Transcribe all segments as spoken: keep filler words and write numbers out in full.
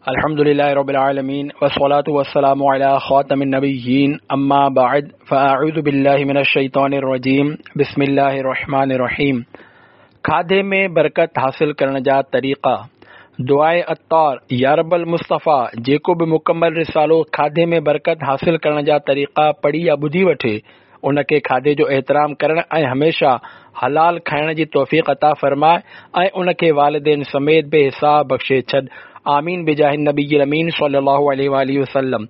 الحمد لله رب العالمين والصلاة والسلام على خاتم النبيين أما بعد فأعوذ بالله من الشيطان الرجيم بسم الله الرحمن الرحيم کاڌي ۾ برڪت حاصل ڪرڻ جا طريقا دعاءِ عطار يا رب المصطفيٰ جيڪو به مڪمل رسالو کاڌي ۾ برڪت حاصل ڪرڻ جا طريقا پڙهي يا ٻڌي وٺي ان کي کاڌي جو احترام ڪرڻ ۽ هميشه حلال کائڻ جي توفيق عطا فرماء ۽ ان کي والدين سميت بي حساب بخشي ڇڏ آمين بجاه النبي الامين صلي الله عليه واله وسلم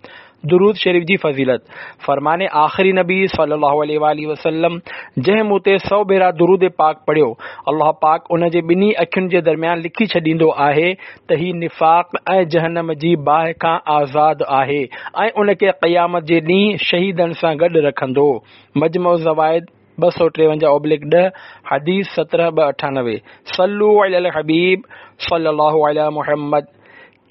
درود شريف جي فضيلت فرمان آخري نبي صلي الله عليه واله وسلم جنهن مون تي سؤ ڀيرا درود پاڪ پڙهيو الله پاڪ ان جي ٻنهي اکين جي درميان لکي ڇڏيندو آهي ته هي نفاق ۽ جهنم جي باهه کان آزاد آهي ۽ ان کي قيامت جي ڏينهن شهيدن سان گڏ رکندو مجمع الزوائد ٻه سؤ ٽيونجاهه اوبلڪ ڏهه حديث سترهن ٻه اٺانوي صلوا علي الحبيب صلي الله علي محمد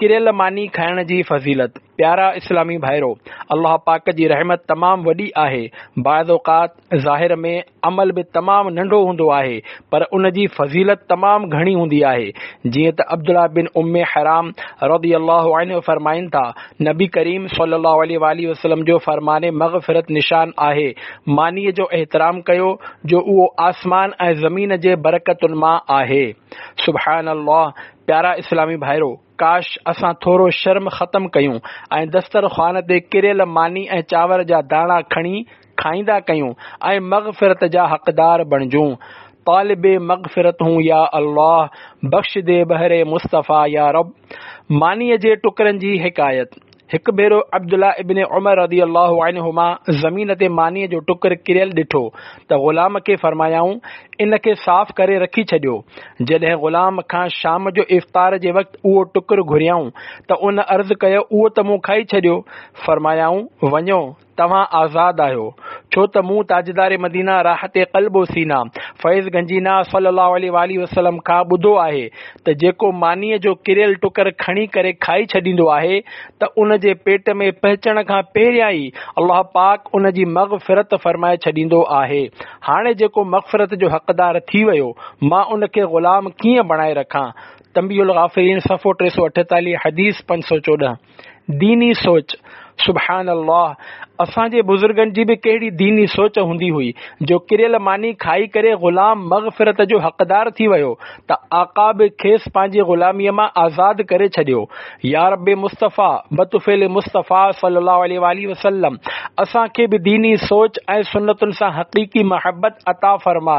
ڪريل ماني کائڻ جي فضيلت پيارا اسلامي ڀائرو الله پاڪ جي رحمت تمام وڏي آهي بعض اوقات ظاهر ۾ عمل به تمام ننڍو هوندو آهي پر ان جي فضيلت تمام گهڻي هوندي آهي جيئن ته عبدالله بن ام حرام رضي الله عنه فرمائن ٿا نبي ڪريم صلي الله عليه واله وسلم جو فرمان مغفرت نشان آهي مانيء جو احترام ڪيو جو اهو آسمان ۽ زمين جي برڪتن مان آهي سبحان الله پيارا اسلامي ڀائرو ڪاش اسان ٿورو شرم ختم ڪيون ۽ دسترخوان تي ڪريل ماني ۽ چانور جا داڻا کڻي کائيندا ڪيون ۽ مغفرت جا حقدار بڻجون طالب مغفرت هون يا الله بخش the بهر مصطفيٰ يا رب مانيء جي ٽڪرن جي حڪايت هڪ ڀيرو عبدالله ابن عمر رضي الله عنهما زمين تي مانيء جو ٽڪر ڪريل ڏٺو ته غلام کي فرمايائون ان کي صاف ڪري رکي ڇڏيو جڏهن غلام کان شام جو افطار جي وقت اهو ٽڪر گهريائون ته ان عرض ڪيو اهو ته مون کائي ڇڏيو فرمايائون وڃو توهان آزاد آهيو ڇو ته مون تاجدار مدينه راحت قلب و سينه فيض گنجينه صلي الله عليه واله وسلم کان ٻڌو آهي ته جيڪو مانيء جو ڪريل ٽڪر کڻي ڪري کائي ڇڏيندو آهي ته ان جي پيٽ ۾ پهچڻ کان پهريان ئي الله پاڪ ان جي مغفرت فرمائي ڇڏيندو آهي هاڻي جيڪو مغفرت جو حقدار ٿي ويو مان ان کي غلام ڪيئن بڻائي رکان تنبيه الغافلين صفحو ٽي سؤ اٺيتاليهه حديث پنج سؤ چوڏهن ديني سوچ سبحان الله اسان جي بزرگن جي به ڪهڙي ديني سوچ هوندي هئي جو ڪريل ماني کائي ڪري غلام مغفرت جو حقدار ٿي ويو ته آقا به کيس پنهنجي غلاميء مان آزاد ڪري ڇڏيو يا رب مصطفيٰ بطفيل مصطفيٰ صلي الله عليه واله وسلم اسان کي به ديني سوچ ۽ سنتن سان حقيقي محبت عطا فرماء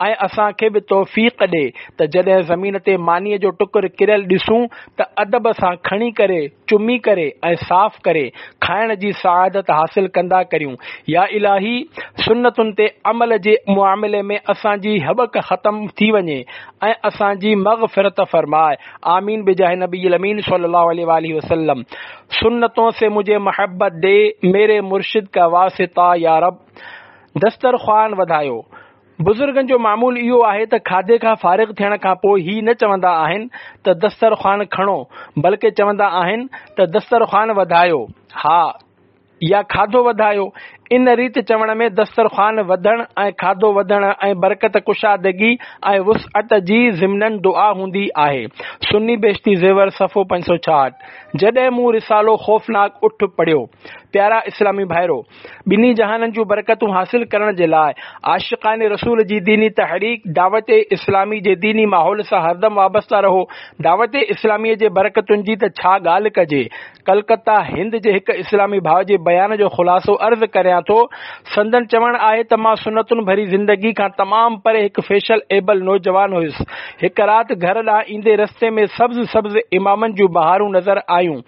۽ اسان کي به توفيق ڏي ته جڏهن زمين تي مانيء جو ٽڪر ڪريل ڏسون ته ادب سان کڻي ڪري چمي ڪري ۽ صاف ڪري کائڻ جي سعادت حاصل ڪندا ڪريون يا الاهي سنتن تي عمل جي معاملي ۾ اسان جي هٻڪ ختم ٿي وڃي ۽ اسان جي مغفرت فرماء آمين بجاه نبي الامين صلي الله عليه واله وسلم سنتون سي مجهي محبت the ميري مرشد کا واسطه يا رب دسترخوان وڌايو بزرگن جو معمول اهو آهي ته کاڌي کان فارغ ٿيڻ کان پوء هي نه چوندا آهن ته دسترخوان کڻو بلڪه چوندا آهن ته دسترخوان وڌايو ها يا کاڌو وڌايو ان ريت چوڻ ۾ دسترخوان وڌڻ ۽ کاڌو وڌڻ ۽ برڪت ڪشادگي ۽ وسعت جي ضمناً دعا هوندي آهي سني بهشتي زيور صفحو پنج سؤ ڇاهٺ جڏهن مون رسالو خوفناڪ اٺ پڙهيو پيارا اسلامي ڀائرو ٻنهي جهانن جون برڪتون حاصل ڪرڻ جي لاء عاشقان رسول جي ديني تحريڪ دعوت اسلامي جي ديني ماحول سان هردم وابسته رهو دعوت اسلامي جي برڪتن جي ته ڇا ڳالهه ڪجي ڪلڪتا هند جي هڪ اسلامي ڀاء جي بيان جو خلاصو عرض ڪريان ٿو سندن چوڻ آهي ته مان سنتن ڀري زندگي کان تمام پري هڪ فيشن ايبل نوجوان هيس هڪ رات گهر ڏانهن ايندي رستي ۾ سبز سبز امامن جون بهارون نظر آيون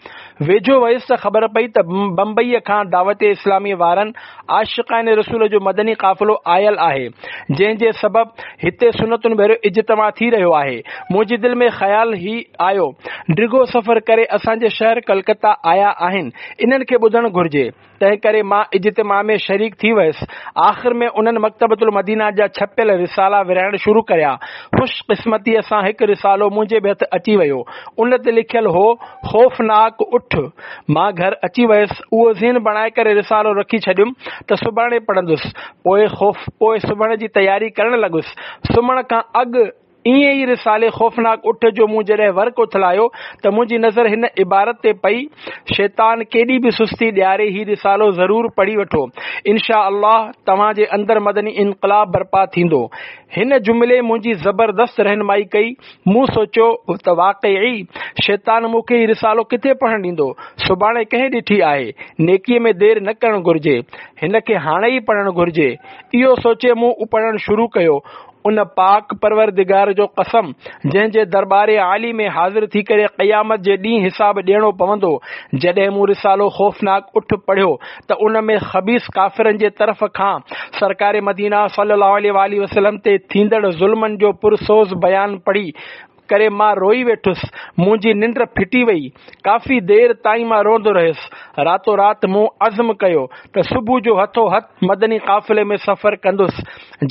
ويجهو ويس ته خبر پئي ته بمبئيء کان دعوت اسلاميء وارن عاشقان رسول جو مدني قافلو آيل آهي، جنهن جي سبب هتي سنتن ڀريو اجتماع ٿي رهيو آهي. منهنجي دل ۾ خيال هي آيو، ڊگهو سفر ڪري اسان جي شهر ڪلڪتا آيا آهن، انهن کي ٻڌڻ گهرجي. تنهن ڪري مان اجتماع ۾ شريڪ ٿي ويس. آخر ۾ انهن مڪتبة المدينه جا ڇپيل رسالا ورهائڻ شروع ڪريا. خوش قسمتيء سان هڪ رسالو منهنجي به هٿ اچي ويو. ان تي لکيل هو، خوفناڪ اٺ. مان گهر اچي ويس. اهو ذهن بڻائي ڪري رسالو رکي ڇڏيم ته سڀاڻي پڙهندس. پوء خوف پوء سمهڻ جي تياري ڪرڻ لڳس. سمهڻ کان اڳ ائين ئي رسالي خوفناڪ اٺ جو مون جڏهن ورق اٿلايو ته منهنجي نظر هن عبارت تي پئي، شيطان ڪيڏي به سستي ڏياري هي رسالو ضرور پڙهي وٺو، انشاء الله توهان جي اندر مدني انقلاب برپا ٿيندو. هن جملي منهنجي زبردست رهنمائي ڪئي. مون سوچيو ته واقعي شيطان مون کي هي رسالو ڪٿي پڙهڻ ڏيندو، سڀاڻي ڪنهن ڏٺي آهي، نيڪي ۾ دير نه ڪرڻ گهرجي، هن کي هاڻي ئي پڙهڻ گهرجي. اهو سوچي مون پڙهڻ شروع ڪيو. ان پاڪ پروردگار جو قسم جنهن جي درٻار عالي ۾ حاضر ٿي ڪري قيامت جي ڏينهن حساب ڏيڻو پوندو. جڏهن مون رسالو خوفناڪ اٺ پڙهيو ته ان ۾ خبيث ڪافرن جي طرف کان سرڪار مدينه صلي الله عليه واٰله وسلم تي ٿيندڙ ظلمن جو پرسوز بيان پڙهي ڪري مان روئي ويٺس. منهنجي ننڊ ڦٽي وئي. ڪافي دير تائين مان روئندو رهيس. راتو رات مون عزم ڪيو ته صبح جو هٿو هٿ مدني قافلي ۾ سفر ڪندس.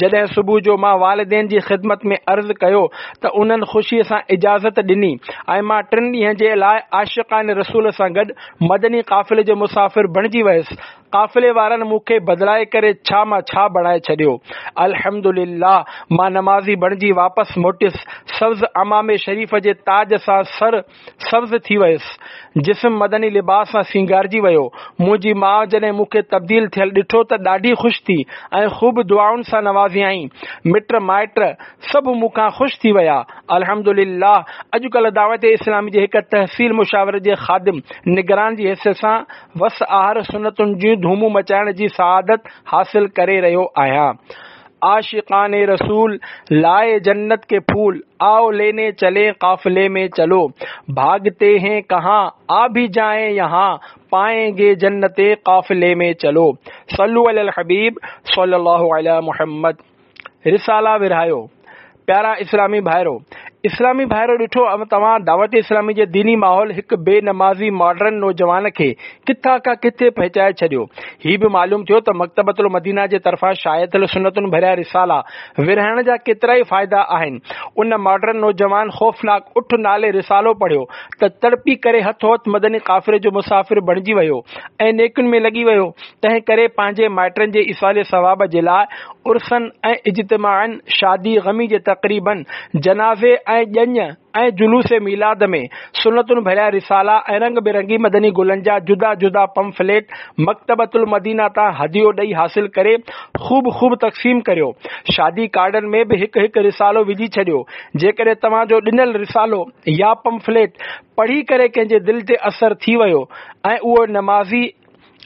جڏهن صبح جو مان والدين جي خدمت ۾ عرض ڪيو ته انهن خوشي سان اجازت ڏني ۽ مان ٽن ڏينهن جي لاء عاشقان رسول سان گڏ مدني قافلي جو مسافر بڻجي ويس. قافلي وارن مون کي بدلائي ڪري ڇا مان ڇا بڻائي ڇڏيو. الحمدلله مان نمازي بڻجي واپس موٽيس. سبز عمامي شريف جي تاج سان سر سبز ٿي ويس. جسم مدني لباس سان سينگارجي ويو. منهنجي ماء جڏهن مون کي تبديل ٿيل ڏٺو ته ڏاڍي خوش ٿي ۽ خوب دعائن سان نوازيائين. مٽ مائٽ سڀ مون کان خوش ٿي ويا. الحمدلله اڄڪلهه دعوت اسلامي جي هڪ تحصيل مشاورت جي خادم نگران جي حيثيت سان وس آهر سنتن جون ڌومون مچائڻ جي سعادت حاصل ڪري رهيو آهيان. عاشقان رسول لائي جنت ڪي ڦول آئو ليني چلين قافلي ۾ چلو ڀاگتي هين ڪهان آ ڀي جائين يهان پائين گي جنت قافلي ۾ چلو صلو علي الحبيب صلي الله علي محمد. رسالا ورهايو. پيارا اسلامي ڀائرو! اسلامي ڀائرو ڏٺو توهان دعوت اسلامي جي ديني ماحول هڪ بي نمازي ماڊرن نوجوان کي ڪٿان کان ڪٿي پهچائي ڇڏيو. هي به معلوم ٿيو ته مڪتبة المدينه جي طرفان شايع ٿيل سنتن ڀريا رسالا ورهائڻ جا ڪيترائي فائدا آهن. ان ماڊرن نوجوان خوفناڪ اٺ نالي رسالو پڙهيو ته تڙپي ڪري هٿو هٿ مدني قافلي جو مسافر بڻجي ويو ۽ نيڪين ۾ لڳي ويو. تنهن ڪري پنهنجي مائٽن جي ايصال ثواب جي لاء عرسن ۽ اجتماعن، شادي غمي جي تقريبن، جنازي ۽ ڄڃ ۽ جلوس ميلاد ۾ سنتن ڀريا رسالا ۽ رنگ برنگي مدني گلن جا جدا جدا پمفليٽ مڪتبة المدينه تان هديو ڏئي حاصل ڪري خوب خوب تقسيم ڪريو. شادي ڪارڊن ۾ به هڪ هڪ رسالو وجهي ڇڏيو. جيڪڏهن توهان جو ڏنل رسالو يا پمفليٽ پڙهي ڪري ڪنهن جي دل تي اثر ٿي ويو ۽ اهو نمازي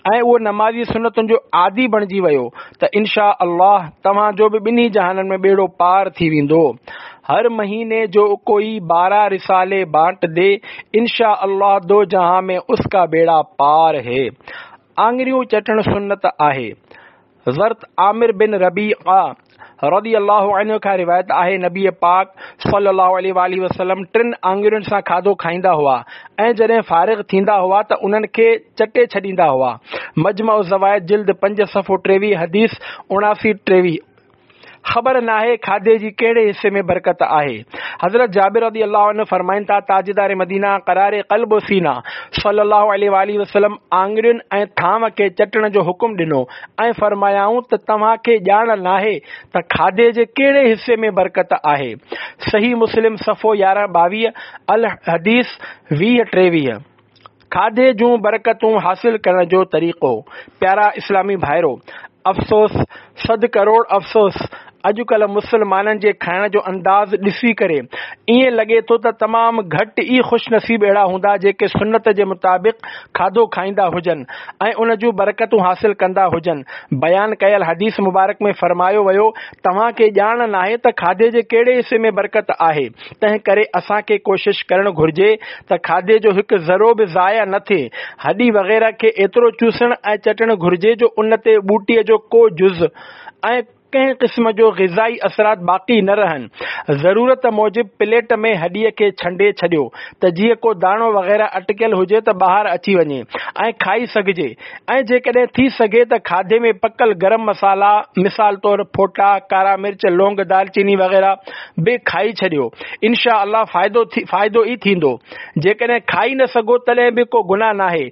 ۽ اهو نمازي سنتن جو عادي بڻجي ويو ته انشاء الله توهان جو به ٻنهي جهانن ۾ ٻيڙو پار ٿي ويندو. هر مهيني جو ڪوئي بارا رسالي بانٽ the انشاء الله دو جهان ۾ اس ڪا ٻيڙا پار هي. آڱريون چٽڻ سنت آهي. حضرت عامر بن ربيعه رضي الله عنه کان روايت آهي نبي پاڪ صلي الله عليه واٰله وسلم ٽن آڱرين سان کاڌو کائيندا هئا ۽ جڏهن فارغ ٿيندا هئا ته انهن کي چٽي ڇڏيندا هئا. مجمع الزوائد جلد پنج صفحو ٽيويهه حديث اڻاسي ٽيويهه. خبر ناهي کاڌي جي ڪهڙي حصي ۾ برڪت آهي. حضرت جابر رضي الله عنه فرمائن ٿا، تاجدار مدينه قرار قلب و سينه صلي الله عليه واٰله وسلم آڱرين ۽ ٿانو کي چٽڻ جو حڪم ڏنو ۽ فرمايائون ته توهان کي ڄاڻ ناهي ته کاڌي جي ڪهڙي حصي ۾ برڪت آهي. صحيح مسلم صفحو يارهن ٻاويهه، الحديث ويهه ٽيويهه. کاڌي جون برڪتون حاصل ڪرڻ جو طريقو. پيارا اسلامي ڀائرو! افسوس صد ڪروڙ افسوس اڄڪلهه مسلمانن جي کائڻ جو انداز ڏسي ڪري ائين لڳي ٿو ته تمام گهٽ ئي خوش نصيب اهڙا هوندا جيڪي سنت جي مطابق کاڌو کائيندا هجن ۽ ان جون برڪتون حاصل ڪندا هجن. بيان ڪيل حديث مبارڪ ۾ فرمايو ويو، توهان کي ڄاڻ ناهي ته کاڌي جي ڪهڙي حصي ۾ برڪت آهي. تنهن ڪري اسان کي ڪوشش ڪرڻ گهرجي ته کاڌي جو هڪ ذرو به ضايع نه ٿئي. هڏي وغيره کي ايترو چوسڻ ۽ چٽڻ گهرجي جو ان تي ٻوٽي جو ڪو جز ۽ ڪنهن قسم جو غذائي اثرات باقي نه رهن. ضرورت موجب پليٽ ۾ هڏي کي ڇنڊي ڇڏيو ته جيئن ڪو داڻو وغيره اٽڪيل هجي ته ٻاهر اچي وڃي ۽ کائي سگهجي ۽ جيڪڏهن ٿي سگهي ته کاڌي ۾ پڪل گرم مصالحا مثال طور ڦوٽا، ڪارا مرچ، لونگ، دالچيني وغيره به کائي ڇڏيو انشاء الله فائدو فائدو ئي ٿيندو جيڪڏهن کائي نه سگهو تڏهن به ڪو گناهه ناهي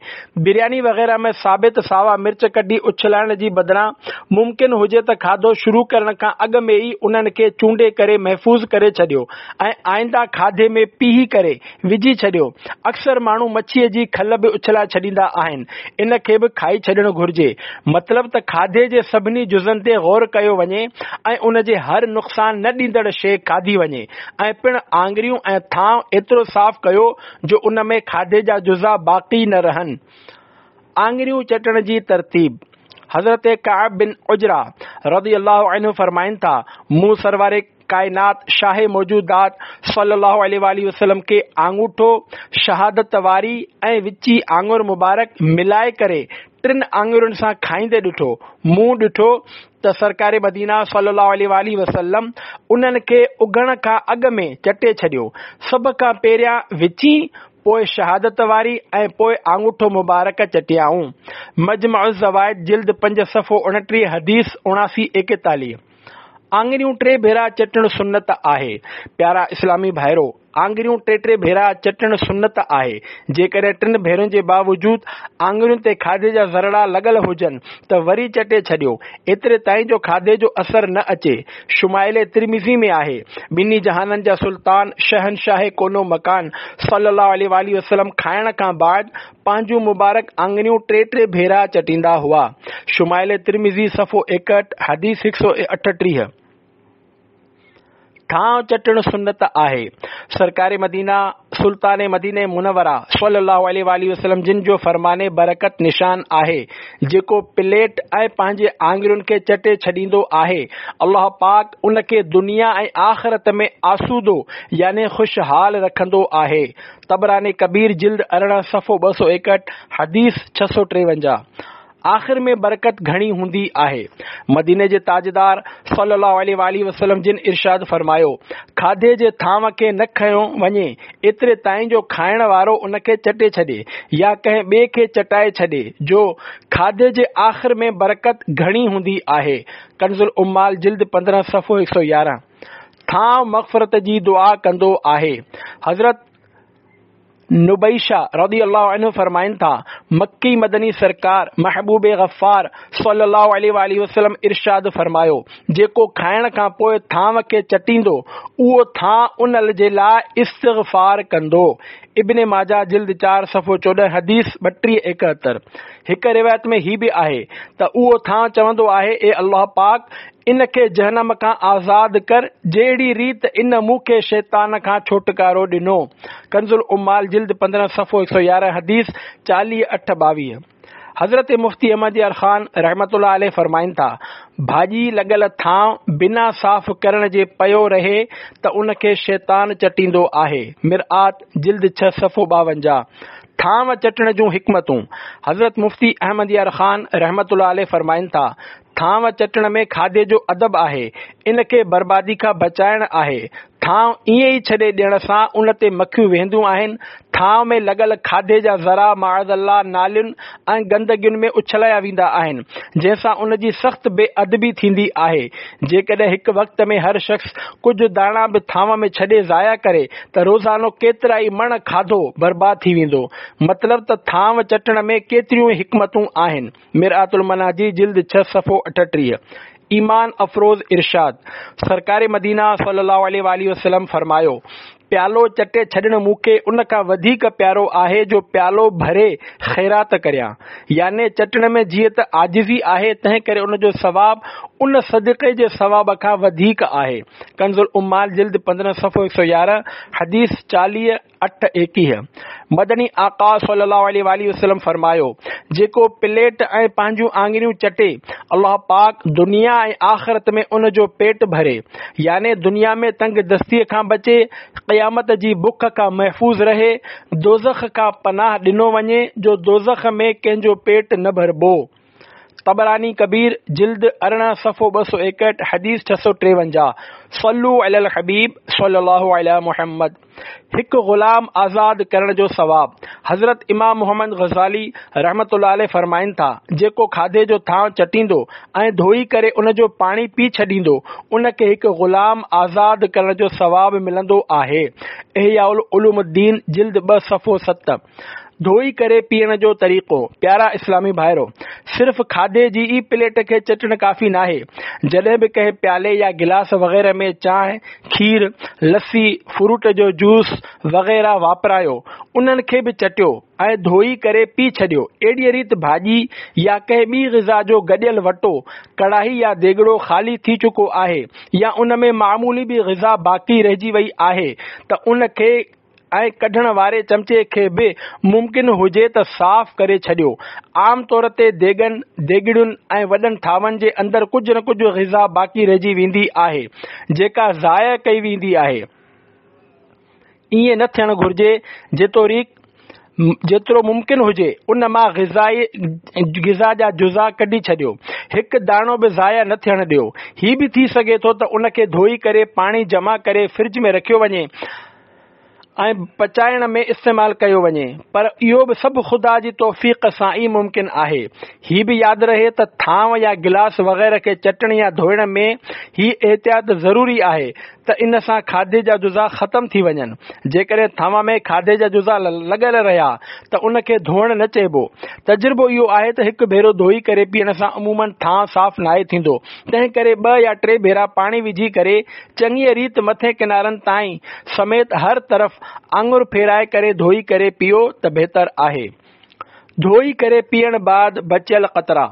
برياني وغيره ۾ ثابت ساوا مرچ ڪڍي اڇلائڻ جي بدران ممڪن هجي ته کاڌو شروع ڪرڻ کان اڳ ۾ ئي انهن کي چونڊي ڪري محفوظ ڪري ڇڏيو ۽ آئنده کاڌي ۾ پيهي ڪري وجهي ڇڏيو. اڪثر ماڻهو مڇيء جي کل به اڇلائي ڇڏيندا آهن، ان کي به کائي ڇڏڻ گهرجي. مطلب ته کاڌي جي سڀني جزن تي غور ڪيو وڃي ۽ ان جي هر نقصان نه ڏيندڙ شيء کاڌي وڃي ۽ پڻ آڱريون ۽ ٿانء ايترو صاف ڪيو جو ان ۾ کاڌي جا جزا باقي نه رهن. آڱريون چٽڻ جي ترتيب: حضرت ڪعب بن عجره رضي الله عنه فرمائن ٿا، مون سرور ڪائنات شاهه موجودات صلي الله عليه واٰله وسلم کي آڱوٺو شهادت واري ۽ وچي آڱر مبارڪ ملائي ڪري ٽن آڱرين سان کائيندي ڏٺو. مون ڏٺو ته سرڪار مدينه صلي الله عليه واٰله وسلم انهن کي اگهڻ کان اڳ ۾ چٽي ڇڏيو. سڀ کان پهريان وچين، پوء شهادت واري ۽ پوء آڱوٺو مبارڪ چٽيائون. مجمع الزوائد جلد پنج صفحو اڻٽيهه حديث اڻاسي ايڪيتاليهه. آڱريون ٽي ڀيرا چٽڻ سنت آهي. پيارا اسلامي ڀائرو! آڱريون ٽي ٽي ڀيرا چٽڻ سنت آهي. جيڪڏهن ٽن ڀيرن جي باوجود آڱرين تي کاڌي جا ذرڙا لڳل هجن ته وري چٽي ڇڏيو، ايتري تائين جو کاڌي جو اثر نه اچي. شمائل ترمذي ۾ آهي، ٻنهي جهانن جا سلطان، شهنشاهه ڪون و مڪان صلّي الله عليه واٰله وسلّم کائڻ کان بعد پنهنجون مبارڪ آڱريون ٽي ٽي ڀيرا چٽيندا هئا. شمائل ترمذي صفحو ايڪهٺ، حديث هڪ سؤ اٺٽيهه. ٿانء چٽڻ سنت آهي. سرڪار مدينه سلطان مدينه منوره صلي الله عليه واٰله وسلم جن جو فرمان برڪت نشان آهي، جيڪو پليٽ ۽ پنهنجي آڱرين کي چٽي ڇڏيندو آهي، الله پاڪ ان کي دنيا ۽ آخرت ۾ آسودو يعني خوشحال رکندو آهي. طبراني ڪبير جلد ارڙهن صفحو ٻه سؤ ايڪهٺ حديث ڇهه سؤ ٽيونجاهه. آخر ۾ برڪت گهڻي هوندي آهي. مديني جي تاجدار صلي الله عليه واٰله وسلم جن ارشاد فرمايو، کاڌي جي ٿانو کي نه کنيو وڃي ايتري تائين جو کائڻ وارو ان کي چٽي ڇڏي يا ڪنهن ٻئي کي چٽائي ڇڏي جو کاڌي جي آخر ۾ برڪت گهڻي هوندي آهي. ڪنزالعمال جلد پندرهن صفحو هڪ سؤ يارهن. ٿانء مغفرت جي دعا ڪندو آهي. حضرت نبيشه رضي الله عنه فرمائن ٿا، مڪي مدني سرڪار محبوب غفار صلي الله عليه واٰله وسلم ارشاد فرمايو، جيڪو کائڻ کان پوء ٿانء کي چٽيندو، اهو ٿانء ان جي لاء استغفار ڪندو. ابن ماجه جلد چار صفحو چوڏهن حديث ٻٽيهه ايڪهتر. هڪ روايت ۾ هي به آهي ته اهو ٿانء چوندو آهي، اي الله پاڪ! ان کي جهنم کان آزاد ڪر جهڙي ريت ان مون کي شيطان کان ڇوٽڪارو ڏنو. ڪنزالعمال جلد پندرهن صفحو هڪ سؤ يارهن حديث چاليهه اٺ ٻاويهه. حضرت مفتي احمد يار خان رحمة الله عليه فرمائن ٿا، ڀاڄي لڳل ٿانء بنا صاف ڪرڻ جي پيو رهي ته ان کي شيطان چٽيندو آهي. مرآت جلد ڇهه صفحو ٻاونجاهه. ٿانء چٽڻ جون حڪمتون، حضرت مفتي احمد يار خان رحمة الله عليه فرمائن ٿا، ٿانء چٽڻ ۾ کاڌي جو ادب آهي، ان کي بربادي کان بچائڻ آهي. ٿانء ائين ئي ڇڏي ڏيڻ سان ان تي مکيون ويهنديون آهن. ٿانء ۾ لڳل کاڌي جا ذرا معاذ الله نالين ۽ گندگين ۾ اڇلايا ويندا آهن، جنهن سان ان جي سخت بي ادبي ٿيندي آهي. جيڪڏهن هڪ وقت ۾ هر شخص ڪجهه داڻا به ٿانء ۾ ڇڏي ضايع ڪري ته روزانو ڪيترائي مڻ کاڌو برباد ٿي ويندو. مطلب ته ٿانء چٽڻ ۾ ڪيتريون ئي حڪمتون آهن. مرآة المناجي جلد ڇهه صفحو اٺٽيهه. ايمان افروز ارشاد، سرڪار مدينه صلي الله عليه واٰله وسلم فرمايو، پيالو چٽي ڇڏڻ مون کي ان کان وڌيڪ پيارو آهي جو پيالو ڀري خيرات ڪريان. يعني چٽڻ ۾ جيئن ته عاجزي آهي تنهن ڪري ان جو ثواب ان صدقي جي ثواب کان وڌيڪ آهي. ڪنزالعمال جلد پندرهن صفحو هڪ سؤ يارهن حديث چاليهه. اٺ ايڪيهه. مدني آقا صلي الله عليه واٰله وسلم فرمايو، جيڪو پليٽ ۽ پنهنجون آڱريون چٽي، الله پاڪ دنيا ۽ آخرت ۾ ان جو پيٽ ڀري، يعني دنيا ۾ تنگ دستيء کان بچي، قيامت جي بک کان محفوظ رهي، دوزخ کان پناهه ڏنو وڃي جو دوزخ ۾ ڪنهن جو پيٽ نه ڀربو. طبراني ڪبير جلد ارڙهن صفحو ٻه سؤ ايڪهٺ حديث ڇهه سؤ ٽيونجاهه. صلو علی الحبيب صلي الله علی محمد. هڪ غلام آزاد ڪرڻ جو ثواب. حضرت امام محمد غزالي رحمة الله عليه فرمائن ٿا، جيڪو کاڌي جو ٿانء چٽيندو ۽ ڌوئي ڪري ان جو پاڻي پي ڇڏيندو، ان کي هڪ غلام آزاد ڪرڻ جو ثواب ملندو آهي. احياء العلوم الدين جلد ٻه صفحو ست. ڌوئي ڪري پيئڻ جو طريقو. پيارا اسلامي ڀائرو، صرف کاڌي جي ئي پليٽ کي چٽڻ ڪافي ناهي. جڏهن به ڪنهن پيالي يا گلاس وغيره ۾ چانهه، کير، لسي، فروٽ جو جوس وغيره واپرايو، انهن کي به چٽيو ۽ ڌوئي ڪري پي ڇڏيو. اهڙيء ريت ڀاڄي يا ڪنهن ٻي غذا جو گڏيل وٽو، ڪڙاهي يا ديڳڙو خالي ٿي چڪو آهي يا ان ۾ معمولي به غذا باقي رهجي وئي آهي ته ان کي ۽ ڪڍڻ واري چمچي کي به ممڪن هجي ته صاف ڪري ڇڏيو. عام طور تي ديڳن، ديڳڙين ۽ وڏن ٿانون جي اندر ڪجهه نه ڪجهه غذا باقي رهجي ويندي آهي، جيڪا ضايع ڪئي ويندي آهي. ائين نه ٿيڻ گهرجي. جيتوڻيڪ جيترو ممڪن هجي ان مان غذا جا جزا ڪڍي ڇڏيو. هڪ داڻو به ضايع نه ٿيڻ ڏيو. هي به ٿي سگهي ٿو ته ان کي ڌوئي ڪري پاڻي جمع ڪري فرج ۾ رکيو وڃي ۽ پچائڻ ۾ استعمال ڪيو وڃي، پر اهو به سڀ خدا جي توفيق سان ئي ممڪن آهي. هي به ياد رهي ته ٿانو يا گلاس وغيره کي چٽڻ يا ڌوئڻ ۾ هي احتياط ضروري آهي ته ان سان کاڌي جا جزا ختم ٿي وڃن. جيڪڏهن ٿانو ۾ کاڌي جا جزا لڳل رهيا ته ان کي ڌوئڻ نه چئبو. تجربو اهو آهي ته هڪ ڀيرو ڌوئي ڪري پيئڻ سان عموماً ٿانء صاف ناهي ٿيندو، تنهن ڪري ٻه يا ٽي ڀيرا پاڻي وجهي ڪري چڱيء ريت مٿين ڪنارن تائين سميت هر طرف آڱر ڦيرائي ڪري ڌوئي ڪري پيئو ته بهتر آهي. ڌوئي ڪري پيئڻ بعد بچيل قطرا.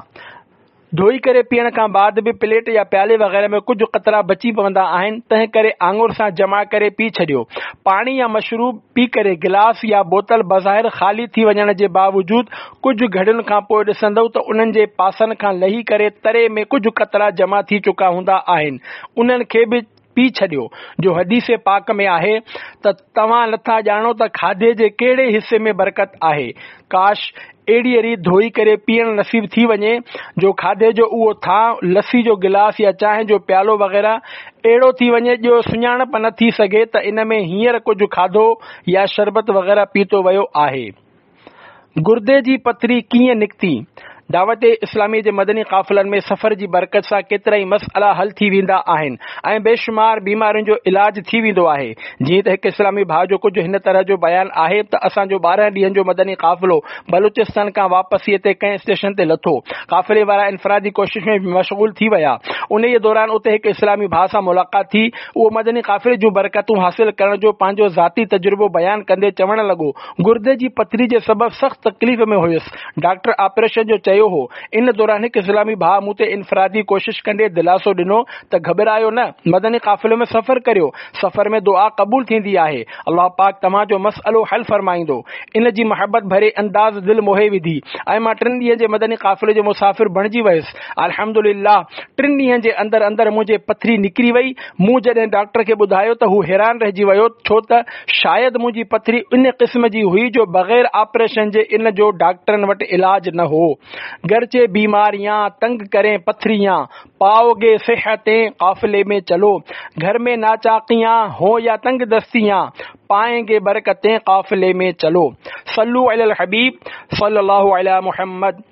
ڌوئي ڪري پيئڻ کان بعد به پليٽ يا پيالي وغيره ۾ ڪجهه قطرا بچي پوندا آهن، تنهن ڪري آڱر سان جمع ڪري پي ڇڏيو. پاڻي يا مشروب پي ڪري گلاس يا بوتل بظاهر خالي ٿي وڃڻ جي باوجود ڪجهه گهڙين کان پوء ڏسندؤ ته انهن جي پاسن کان لهي ڪري تري ۾ ڪجهه قطرا جمع ٿي چڪا هوندا آهن. انهن کي به پي ڇڏيو، جو حديث پاڪ ۾ آهي ته توهان نٿا ڄاڻو ته کاڌي جي ڪهڙي حصي ۾ برڪت آهي. ڪاش! اهڙيء ريت ڌوئي ڪري پيئڻ نصيب ٿي وڃي، جو کاڌي جو اهو ٿانء، لسي جو گلاس يا چانهه جو پيالو وغيره اهڙو ٿي وڃي جو سڃاڻپ نه ٿي سگهي ته ان ۾ هينئر ڪجهه کاڌو يا شربت وغيره پيتو ويو آهي. گردي جي پٿري ڪيئن نڪتي؟ دعوت اسلامي جي مدني قافلن ۾ سفر جي برڪت سان ڪيترائي مسئلا حل ٿي ويندا آهن ۽ بيشمار بيمارين جو علاج ٿي ويندو آهي. جيئن ته هڪ اسلامي ڀاء جو ڪجهه هن طرح جو بيان آهي ته اسان جو ٻارهن ڏينهن جو مدني قافلو بلوچستان کان واپسيء تي ڪنهن اسٽيشن تي لٿو. قافلي وارا انفرادي ڪوشش ۾ مشغول ٿي ويا. انهيء دوران اتي هڪ اسلامي ڀاء سان ملاقات ٿي. اهو مدني قافلي جون برڪتون حاصل ڪرڻ جو پنهنجو ذاتي تجربو بيان ڪندي چوڻ لڳو، گردي جي پٿري جي سبب سخت تڪليف ۾ هيس. ڊاڪٽر آپريشن جو چيو هو. ان دوران هڪ اسلامي ڀاء مون تي انفرادي ڪوشش ڪندي دلاسو ڏنو ته گهٻرايو نه، مدني قافلي ۾ سفر ڪريو، سفر ۾ دعا قبول ٿيندي آهي، الله پاڪ توهان جو مسئلو حل فرمائيندو. ان جي محبت ڀري انداز دل موهي وڌي ۽ مان ٽن ڏينهن جي مدني قافلي جو مسافر بڻجي ويس. الحمدلله ٽن ڏينهن جي اندر اندر منهنجي پٿري نڪري وئي. مون جڏهن ڊاڪٽر کي ٻڌايو ته هو حيران رهجي ويو ڇو ته شايد منهنجي پٿري ان قسم جي هئي جو بغير آپريشن جي ان جو ڊاڪٽرن وٽ علاج نه هو. گرچه بيماريان تنگ ڪرين پٿريان، پائوگي صحتين قافلي ۾ چلو. گهر ۾ ناچاقيان هون يا تنگ دستيان، پائين گي برڪتين قافلي ۾ چلو. صلو علي الحبيب صلي الله علي محمد.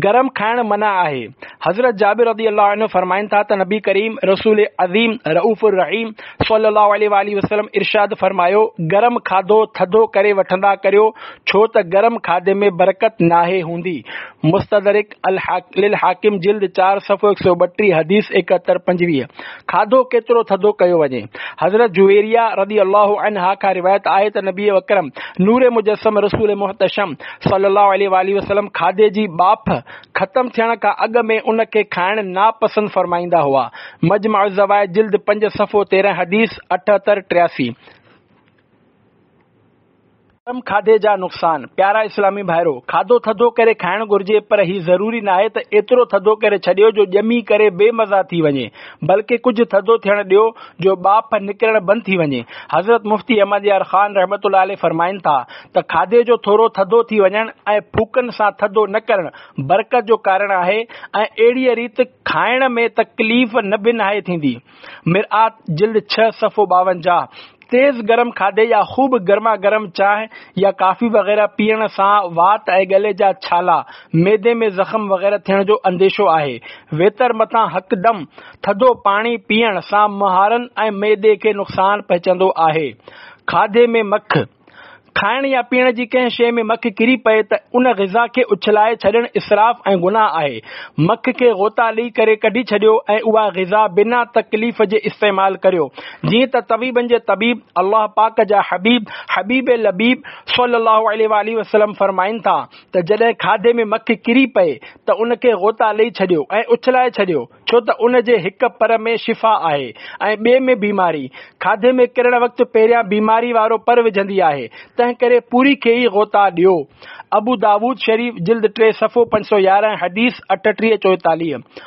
گرم کائڻ منع آهي. حضرت جابر رضي الله عنه فرمائن ٿا ته نبي ڪريم رسول عظيم رؤف الرحيم صلي الله عليه واٰله وسلم ارشاد فرمايو، گرم کاڌو ٿڌو ڪري وٺندا ڪريو ڇو ته گرم کاڌي ۾ برڪت ناهي هوندي. مستدرڪ للحاڪم جلد چار صفحو هڪ سؤ ٻٽيهه حديث ايڪهتر پنجويهه. کاڌو ڪيترو ٿڌو ڪيو وڃي؟ حضرت جويريه رضي الله عنها کان روايت آهي ته نبي اڪرم نور مجسم رسول محتشم صلي الله عليه واٰله وسلم کاڌي جي ٻاڦ ختم ٿيڻ کان اڳ ۾ ان کي کائڻ ناپسند فرمائيندا هئا. مجمع الزوائد جلد پنج صفحو تيرهن حديث اٺهتر ٽياسي. گرم کاڌي جا نقصان، پيارا اسلامي ڀائرو! کاڌو ٿڌو ڪري کائڻ گهرجي پر هي ضروري ناهي ته ايترو ٿڌو ڪري ڇڏيو جو ڄمي ڪري بي مزا ٿي وڃي بلڪه ڪجهه ٿڌو ٿيڻ ڏيو جو ٻاڦ نڪرڻ بند ٿي وڃي. حضرت مفتي احمد يار خان رحمة الله عليه فرمائن ٿا ته کاڌي جو ٿورو ٿڌو ٿي وڃڻ ۽ ڦوڪن سان ٿڌو نه ڪرڻ برڪت جو ڪارڻ آهي ۽ اهڙيء ريت کائڻ ۾ تڪليف نه به ناهي ٿيندي. مرآت جلد ڇهه صفحو ٻاونجاهه. تيز گرم کاڌي يا خوب گرما گرم چانهه يا ڪافي وغيره پيئڻ سان وات ۽ ڳلي جا ڇالا، معدي ۾ زخم وغيره ٿيڻ جو انديشو آهي. ويتر مٿان هڪدم ٿڌو پاڻي پيئڻ سان مهارن ۽ معدي کي نقصان پهچندو آهي. کاڌي ۾ مک. کائڻ يا پيئڻ جي ڪنهن شيء ۾ مک ڪري پئي ته ان غذا کي اڇلائي ڇڏڻ اسراف ۽ گناهه آهي. مک کي غوطا ڏئي ڪري ڪڍي ڇڏيو ۽ اها غذا بنا تڪليف جي استعمال ڪريو. جيئن ته طبيبن جي طبيب الله پاڪ جا حبيب حبيب لبيب صلي الله عليه واٰله وسلم فرمائن ٿا ته جڏهن کاڌي ۾ مک ڪري پئي ته ان کي غوطا ڏئي ڇڏيو ۽ اڇلائي ڇڏيو، ڇو ته ان جي هڪ پر ۾ شفا آهي ۽ ٻئي ۾ بيماري. کاڌي ۾ ڪرڻ وقت پهريان بيماري وارو پر وجهندي آهي، تنهن ڪري پوري کي ئي غوطا ڏيو. ابو داود شريف جلد ٽي صفحو پنج سؤ يارهن حديث اٺٽيهه چوئيتاليهه.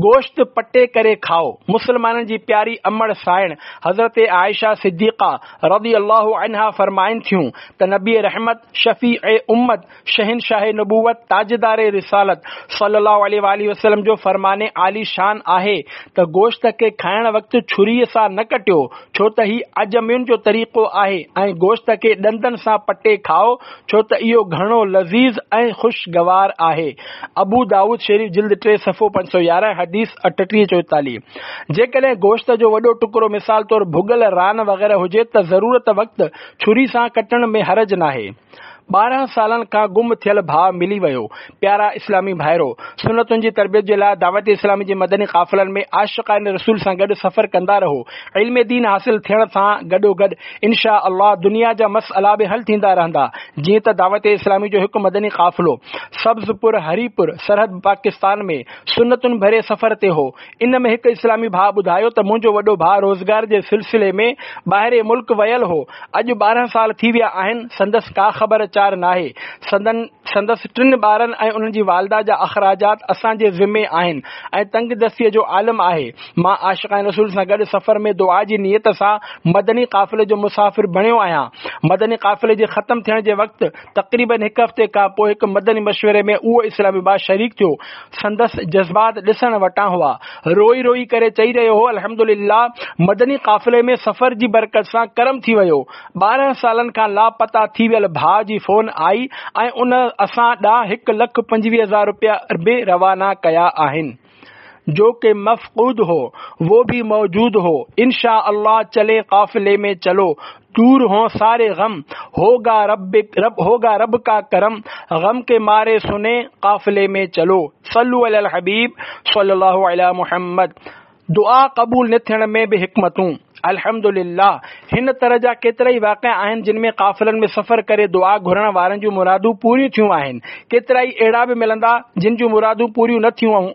گوشت پٽي ڪري کائو. مسلمانن جي پياري امڙ سائڻ حضرت عائشه صديقه رضي الله عنها فرمائن ٿيون ته نبي رحمت، شفيع امت، شهنشاهه نبوت، تاجدار رسالت صلي الله عليه واٰله وسلم جو فرمان عالي شان آهي ته گوشت کي کائڻ وقت ڇريء سان نه ڪٽيو، ڇو ته هي عجمين جو طريقو آهي ۽ گوشت کي ڏندن سان پٽي کائو، ڇو ته اهو گهڻو لذيذ ۽ خوشگوار آهي. ابو داؤد شريف جلد ٽي صفحو پنج سؤ يارهن حديث اٺٽيهه چوئيتاليهه. جيڪڏهن گوشت جو وڏو ٽڪرو مثال طور ڀڳل ران وغيره هجي ته ضرورت وقت ڇري سان ڪٽڻ ۾ حرج ناهي. ٻارهن سالن کان گم ٿيل ڀاء ملي ويو. پيارا اسلامي ڀائرو! سنتن جي تربيت جي لاء دعوت اسلامي جي مدني قافلن ۾ عاشقان رسول سان گڏ سفر ڪندا رهو. علم دين حاصل ٿيڻ سان گڏوگڏ ان شاء الله دنيا جا مسئلا به حل ٿيندا رهندا. جيئن ته دعوت اسلامي جو هڪ مدني قافلو سبز پور هري پور سرحد پاڪستان ۾ سنتن ڀري سفر تي هو. ان ۾ هڪ اسلامي ڀاء ٻڌايو ته منهنجو وڏو ڀاء روزگار جي سلسلي ۾ ٻاهرين ملڪ ويل هو، اڄ ٻارهن سال ٿي ويا آهن، سندس ڪا خبر چار ناهي. سندن سندس ٽن ٻارن ۽ انهن جي والده جا اخراجات اسان جي ذمي آهن ۽ تنگ دستيء جو عالم آهي. مان عاشقان رسول سان گڏ سفر ۾ دعا جي نيت سان مدني قافلي جو مسافر بڻيو آهيان. مدني قافلي جي ختم ٿيڻ جي وقت تقريباً هڪ هفتي کان پوء هڪ مدني مشوري ۾ اهو اسلامي ڀاء شريڪ ٿيو. سندس جذبات ڏسڻ وٽان هئا. روئي روئي ڪري چئي رهيو هو، الحمدلله مدني قافلي ۾ سفر جي برڪت سان ڪرم ٿي ويو. ٻارهن سالن کان لاپتا ٿي ويل ڀاء جي فون آئي ۽ ان اسان ڏانهن هڪ لک پنجويهه هزار روپيا به روانا ڪيا آهن. جو ڪه مفقود هو وہ ڀي موجود هو انشاء الله چلين قافلي ۾ چلو دور هون ساري غم هوگا رب رب هوگا رب ڪا ڪرم غم ڪي ماري سني قافلي ۾ چلو صلو علي الحبيب صلي الله علي محمد. دعا قبول نه ٿيڻ ۾ به حڪمتون. الحمدلله هن طرح جا ڪيترائي واقعا آهن جن ۾ قافلن ۾ سفر ڪري دعا گهرڻ وارن جون مرادون پوريون ٿيون آهن. ڪيترائي اهڙا به ملندا جن جون مرادون پوريون نه ٿيون.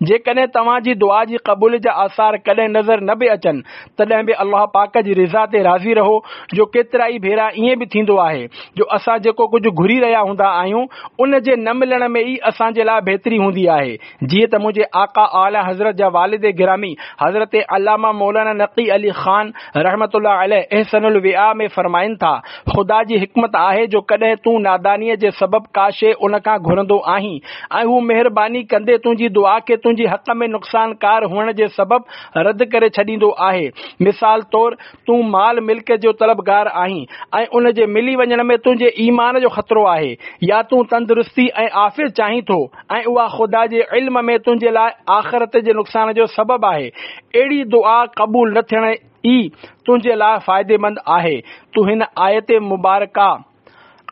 جيڪڏهن توهان جي دعا جي قبوليت جا آثار ڪڏهن نظر نه به اچن تڏهن به الله پاڪ جي رضا تي راضي رهو جو ڪيترائي ڀيرا ائين به ٿيندو آهي جو اسان جيڪو ڪجهه گهري رهيا هوندا آهيون ان جي نه ملڻ ۾ ئي اسان جي لاء بهتري هوندي آهي. جيئن ته منهنجي آقا اعليٰ حضرت جا والد گرامي حضرت علامه مولانا نقي علي خان رحمة الله عليه احسن الوعاء ۾ فرمائن ٿا، خدا جي حڪمت آهي جو ڪڏهن تون نادانيء جي سبب ڪا شيء ان کان گهرندو آهين ۽ هو مهرباني ڪندي تنهنجي دعا کي تنهنجي حق ۾ نقصانڪار هئڻ جي سبب رد ڪري ڇڏيندو آهي. مثال طور تون مال ملڪيت جو طلبگار آهين ۽ ان جي ملي وڃڻ ۾ تنهنجي ايمان جو خطرو آهي يا تون تندرستي ۽ عافيت چاهين ٿو ۽ اها خدا جي علم ۾ تنهنجي لاء آخرت جي نقصان جو سبب آهي، اهڙي دعا قبول نه ٿيڻ ئي تنهنجي لاء فائديمند آهي. تون هن آيت مبارڪه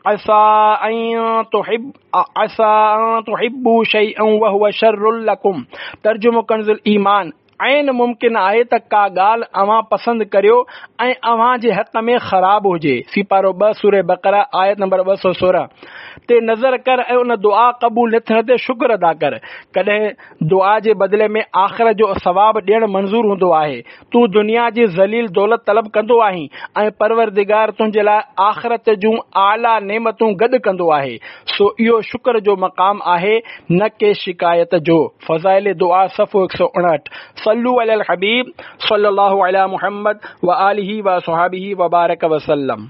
عسيٰ ان تحب عسيٰ ان تحبوا شيئا وهو شر لڪم ترجمو ڪنز الايمان، عين ممڪن آهي ته ڪا ڳالهه اوهان پسند ڪريو ۽ اوهان جي حق ۾ خراب هجي، سيپارو ٻه سوره بقره آيت نمبر ٻه سؤ سورهن تي نظر ڪر ۽ ان دعا قبول نه ٿيڻ تي شڪر ادا ڪر. ڪڏهن دعا جي بدلي ۾ آخرت جو ثواب ڏيڻ منظور هوندو آهي. تون دنيا جي ذليل دولت طلب ڪندو آهين ۽ پروردگار تنهنجي لاء آخرت جون اعليٰ نعمتون گڏ ڪندو آهي. سو اهو شڪر جو مقام آهي نه ڪي شڪايت جو. فضائل دعا صفحو هڪ سؤ اڻهٺ. صلو علی الحبيب صلي الله علی محمد وآله واصحابه وبارڪ وسلم.